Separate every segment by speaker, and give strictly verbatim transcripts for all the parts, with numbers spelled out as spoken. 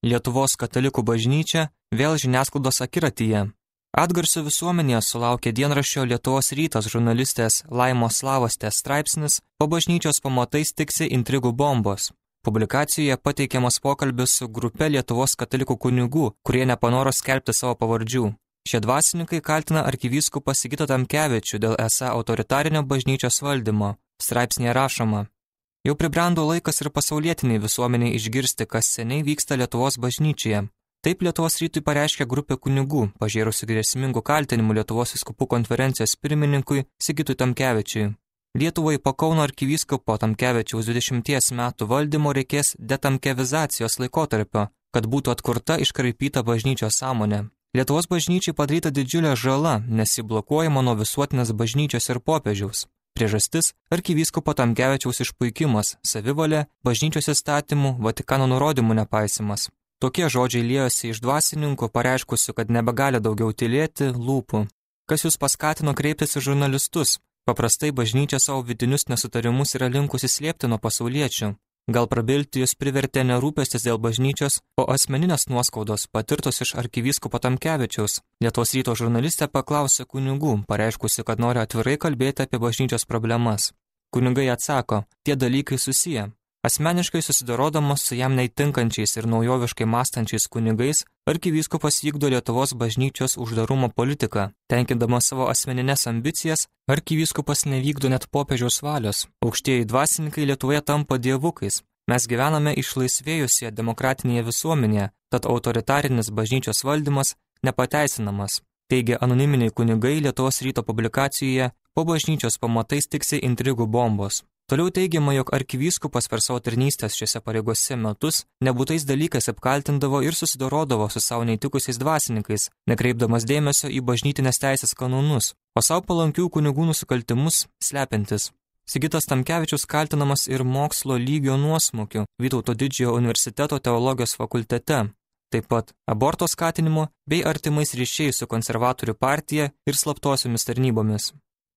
Speaker 1: Lietuvos katalikų bažnyčia vėl žiniasklaidos akiratyje. Atgarsio visuomenėje sulaukė dienraščio Lietuvos rytas žurnalistės Laimos Slavostės straipsnis "Po bažnyčios pamatais tiksi intrigų bombos". Publikacijoje pateikiamas pokalbis su grupe Lietuvos katalikų kunigų, kurie nepanoro skelbti savo pavardžių. Šie dvasininkai kaltina arkivyskupą Sigitą Tamkevičių dėl esą autoritarinio bažnyčios valdymo. Straipsnėje rašoma: Jau pribrendo laikas ir pasaulietiniai visuomeniai išgirsti, kas seniai vyksta Lietuvos bažnyčioje. Taip Lietuvos rytui pareiškė grupė kunigų, pažėrusi grėsmingų kaltinimų Lietuvos vyskupų konferencijos pirmininkui Sigitui Tamkevičiui. Lietuvai po Kauno arkivyskupo Tamkevičiaus dvidešimties metų valdymo reikės detamkevizacijos laikotarpio, kad būtų atkurta iškraipyta bažnyčios sąmonė. Lietuvos bažnyčiai padaryta didžiulė žala, nes ji blokuojama nuo visuotinės bažnyčios ir popiežiaus. Priežastis – arkivyskupo Tamkevičiaus išpuikimas, savivalė, bažnyčios įstatymų, Vatikano nurodymų nepaisimas. Tokie žodžiai liejosi iš dvasininkų, pareiškusių, kad nebegali daugiau tylėti, lūpų. Kas jūs paskatino kreiptis į žurnalistus? Paprastai bažnyčia savo vidinius nesutarimus yra linkusi slėpti nuo pasauliečių. Gal prabilti jūs privertė nerūpestis dėl bažnyčios, o asmeninės nuoskaudos patirtos iš arkivyskupo Tamkevičiaus. Lietuvos ryto žurnalistė paklausė kunigų, pareiškusi, kad nori atvirai kalbėti apie bažnyčios problemas. Kunigai atsako, tie dalykai susiję. Asmeniškai susidarodamas su jam neįtinkančiais ir naujoviškai mąstančiais kunigais, arkivyskupas vykdo Lietuvos bažnyčios uždarumo politiką. Tenkindamas savo asmeninės ambicijas, arkivyskupas nevykdo net popiežiaus valios. Aukštieji dvasininkai Lietuvoje tampa dievukais. Mes gyvename išlaisvėjusioje demokratinėje visuomenėje, tad autoritarinis bažnyčios valdymas nepateisinamas. Teigia anoniminiai kunigai Lietuvos ryto publikacijoje "Po bažnyčios pamatais tiksi intrigų bombos". Toliau teigiama, jog arkivyskupas per savo tarnystės šiose pareigose metus nebūtais dalykais apkaltindavo ir susidorodavo su savo neįtikusiais dvasininkais, nekreipdamas dėmesio į bažnytinės teisės kanonus, o savo palankių kunigų nusikaltimus slepiantis. Sigitas Tamkevičius kaltinamas ir mokslo lygio nuosmukiu Vytauto Didžiojo universiteto teologijos fakultete, taip pat aborto skatinimu bei artimais ryšiais su konservatorių partija ir slaptosiomis tarnybomis.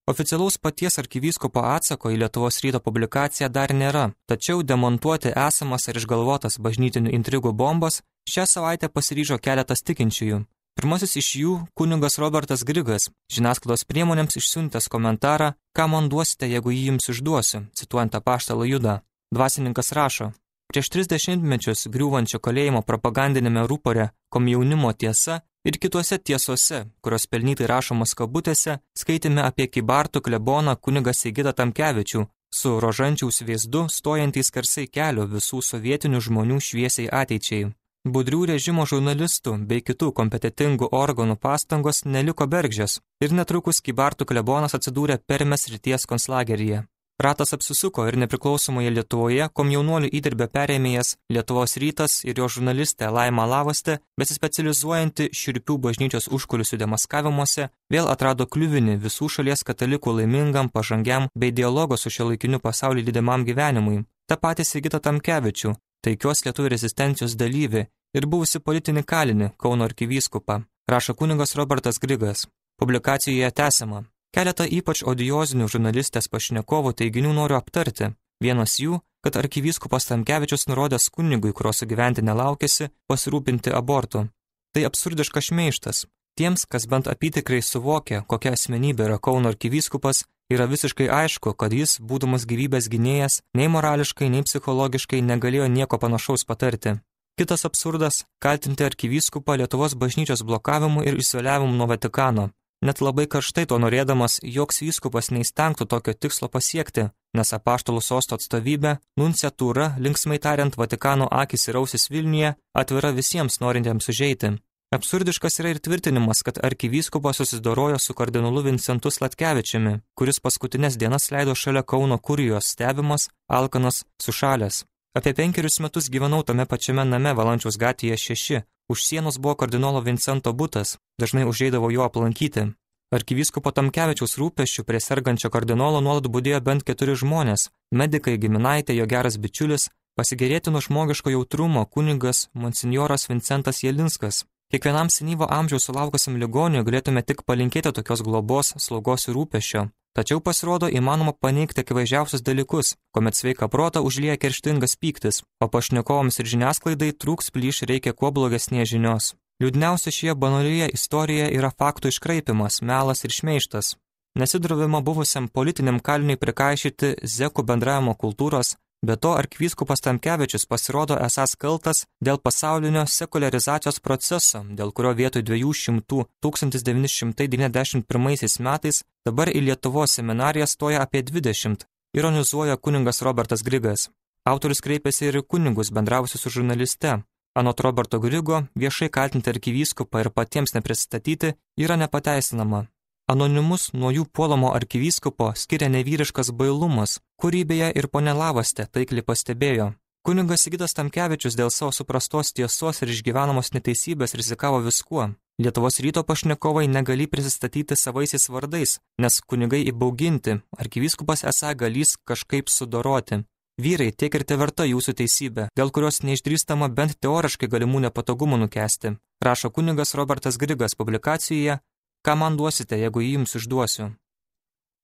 Speaker 1: Oficialaus paties arkivyskupo atsako į Lietuvos ryto publikaciją dar nėra, tačiau demontuoti esamas ar išgalvotas bažnytinių intrigų bombas šią savaitę pasiryžo keletas tikinčiųjų. Pirmasis iš jų kunigas Robertas Grigas, žiniasklaidos priemonėms išsiuntęs komentarą, ką man duosite, jeigu jį jums išduosiu, cituojant apaštalą Judą. Dvasininkas rašo: Prieš tris dešimtmečius griūvančio kalėjimo propagandinėme rūpore Komjaunimo tiesa ir kituose tiesose, kurios pelnytai rašomos kabutėse, skaitėme apie Kybartų kleboną kunigą Sigitą Tamkevičių, su rožančiaus vėzdu stojantys skersai kelio visų sovietinių žmonių šviesiai ateičiai. Budrių režimo žurnalistų bei kitų kompetitingų organų pastangos neliko bergždžios ir netrukus Kybartų klebonas atsidūrė Permės srities konclageryje. Ratas apsisuko ir nepriklausomoje Lietuvoje komjaunuolių įdirbio perėmėjas Lietuvos rytas ir jo žurnalistė Laima Lavostė, besispecializuojanti šiurpių bažnyčios užkulisių demaskavimuose, vėl atrado kliuvinį visų šalies katalikų laimingam, pažangiam bei dialogo su šiuolaikiniu pasauliu lydimam gyvenimui. Ta patį Sigitą Tamkevičių, taikios lietuvių rezistencijos dalyvį ir buvusi politinį kalinį Kauno arkivyskupą, rašo kunigas Robertas Grigas. Publikacijoje tęsiama. Keletą ypač odiozinių žurnalistės pašnekovų teiginių noriu aptarti. Vienas jų, kad arkivyskupas Tamkevičius nurodęs kunigui, kurio sugyventi nelaukėsi, pasirūpinti abortu. Tai absurdiškas šmeižtas. Tiems, kas bent apytikrai suvokia, kokia asmenybė yra Kauno arkivyskupas, yra visiškai aišku, kad jis, būdamas gyvybės gynėjas, nei morališkai, nei psichologiškai negalėjo nieko panašaus patarti. Kitas absurdas – kaltinti arkivyskupą Lietuvos bažnyčios blokavimu ir izoliavimu nuo Vatikano. Net labai karštai to norėdamas, joks vyskupas neįstengtų tokio tikslo pasiekti, nes apaštalų sosto atstovybė, nunciatūra, linksmai tariant Vatikano akis ir ausis Vilniuje, atvira visiems norintiems užeiti. Absurdiškas yra ir tvirtinimas, kad arkivyskupas susidorojo su kardinolu Vincentu Sladkevičiumi, kuris paskutinės dienas leido šalia Kauno kurijos stebimas, alkanas, sušalęs. Apie penkerius metus gyvenau tame pačiame name Valančiaus gatvėje šeši. Už sienos buvo kardinolo Vincento butas, dažnai užeidavo jo aplankyti. Arkivyskupo Tamkevičiaus rūpesčių prie sergančio kardinolo nuolat budėjo bent keturi žmonės – medikai, giminaitė, jo geras bičiulis, pasigėrėtino žmogiško jautrumo kunigas monsinjoras Vincentas Jelinskas. Kiekvienam senyvo amžiaus sulaukusiam ligoniui galėtume tik palinkėti tokios globos, slaugos ir rūpesčio. Tačiau pasirodo įmanoma paneigti akivaizdžiausius dalykus, kuomet sveiką protą užlieja kerštingas pyktis, o pašnekovams ir žiniasklaidai trūks plyš reikia kuo blogesnės žinios. Liūdniausia šioje banalioje istorijoje yra faktų iškraipimas, melas ir šmeižtas. Nesidrovima buvusiam politiniam kaliniui prikaišyti zekų bendravimo kultūros, be to arkivyskupas Tamkevičius pasirodo esąs kaltas dėl pasaulinio sekuliarizacijos proceso, dėl kurio vietoj dviejų šimtų tūkstantis devyni šimtai devyniasdešimt pirmaisiais metais dabar į Lietuvos seminariją stoja apie dvidešimt, ironizuoja kunigas Robertas Grigas. Autorius kreipėsi ir kunigus bendravusius su žurnaliste. Anot Roberto Grigo, viešai kaltinti arkivyskupą ir patiems nepristatyti yra nepateisinama. Anonimus nuo jų puolamo arkivyskupo skiria nevyriškas bailumas, kurį beje ir ponė Lavastė taikliai pastebėjo. Kunigas Sigitas Tamkevičius dėl savo suprastos tiesos ir išgyvenamos neteisybės rizikavo viskuo. Lietuvos ryto pašnekovai negali prisistatyti savaisiais vardais, nes kunigai įbauginti, arkivyskupas esą galys kažkaip sudoroti. Vyrai, tiek ir teverta jūsų teisybė, dėl kurios neišdrįstama bent teoriškai galimų nepatogumų nukęsti, rašo kunigas Robertas Grigas publikacijoje Ką man duosite, jeigu jį jums išduosiu?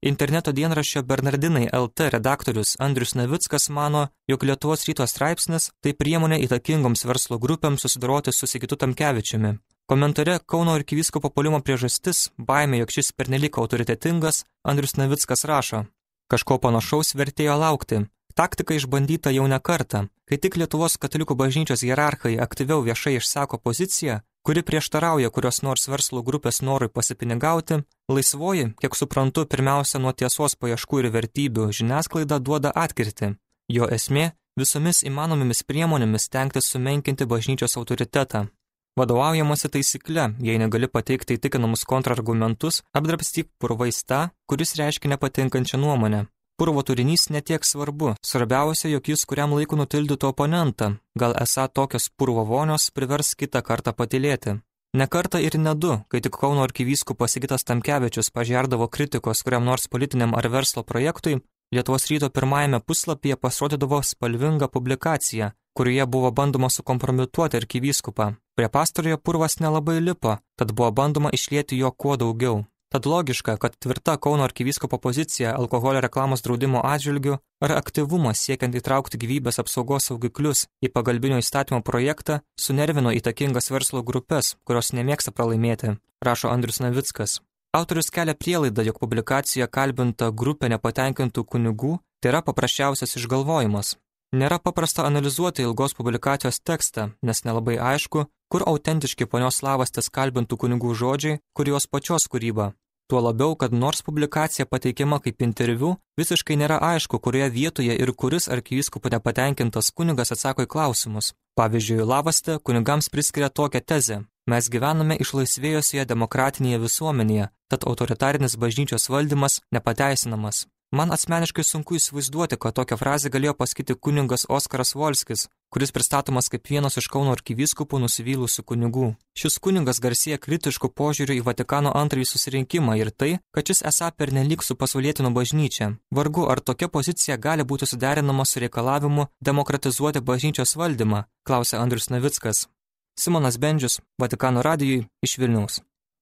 Speaker 1: Interneto dienraščio Bernardinai L T redaktorius Andrius Navickas mano, jog Lietuvos ryto straipsnis tai priemonė įtakingoms verslo grupėms susidoroti su Sigitu Tamkevičiumi. Komentare Kauno arkivyskupo puolimo priežastis, baimė, jog šis pernelyg autoritetingas, Andrius Navickas rašo: kažko panašaus vertėjo laukti. Taktika išbandyta jau ne kartą, kai tik Lietuvos katalikų bažnyčios hierarchai aktyviau viešai išsako poziciją, kuri prieštarauja kurios nors verslo grupės norui pasipinigauti, laisvoji, kiek suprantu, pirmiausia nuo tiesos paieškų ir vertybių žiniasklaida duoda atkirtį. Jo esmė – visomis įmanomomis priemonėmis stengtis sumenkinti bažnyčios autoritetą. Vadovaujamasi taisykle, jei negali pateikti įtikinamus kontrargumentus, apdrabstyk purvais tą, kuris reiškia nepatinkančią nuomonę. Purvo turinys netiek svarbu, svarbiausia, jog jis kuriam laiku nutildytų oponentą, gal esą tokios purvo vonios privers kitą kartą patylėti. Ne kartą ir ne du, kai tik Kauno arkivyskupas Sigitas Tamkevičius pažerdavo kritikos kuriam nors politiniam ar verslo projektui, Lietuvos ryto pirmajame puslapyje pasirodydavo spalvinga publikacija, kurioje buvo bandoma sukompromituoti arkivyskupą. Prie pastarojo purvas nelabai lipo, tad buvo bandoma išlieti jo kuo daugiau. Tad logiška, kad tvirta Kauno arkivyskupo pozicija alkoholio reklamos draudimo atžvilgiu ar aktyvumas siekiant įtraukti gyvybės apsaugos saugiklius į pagalbinio įstatymo projektą sunervino įtakingas verslo grupės, kurios nemėgsta pralaimėti, rašo Andrius Navickas. Autorius kelia prielaidą, jog publikacijoje kalbinta grupė nepatenkintų kunigų tai yra paprasčiausias išgalvojimas. Nėra paprasta analizuoti ilgos publikacijos tekstą, nes nelabai aišku, kur autentiški ponios Lavastės kalbintų kunigų žodžiai, kur jos pačios kūryba. Tuo labiau, kad nors publikacija pateikiama kaip interviu, visiškai nėra aišku, kurioje vietoje ir kuris arkivyskupų nepatenkintas kunigas atsako į klausimus. Pavyzdžiui, Lavastė kunigams priskiria tokią tezę: mes gyvename išlaisvėjusioje demokratinėje visuomenėje, tad autoritarinis bažnyčios valdymas nepateisinamas. Man asmeniškai sunku įsivaizduoti, kad tokią frazę galėjo pasakyti kunigas Oskaras Volskis, kuris pristatomas kaip vienas iš Kauno arkivyskupų nusivylusių kunigų. Šis kunigas garsėja kritiškų požiūrių į Vatikano antrąjį susirinkimą ir tai, kad šis esą pernelyg su pasaulietino bažnyčia. Vargu, ar tokia pozicija gali būti suderinama su reikalavimu demokratizuoti bažnyčios valdymą, klausė Andrius Navickas. Simonas Bendžius, Vatikano radijui iš Vilniaus.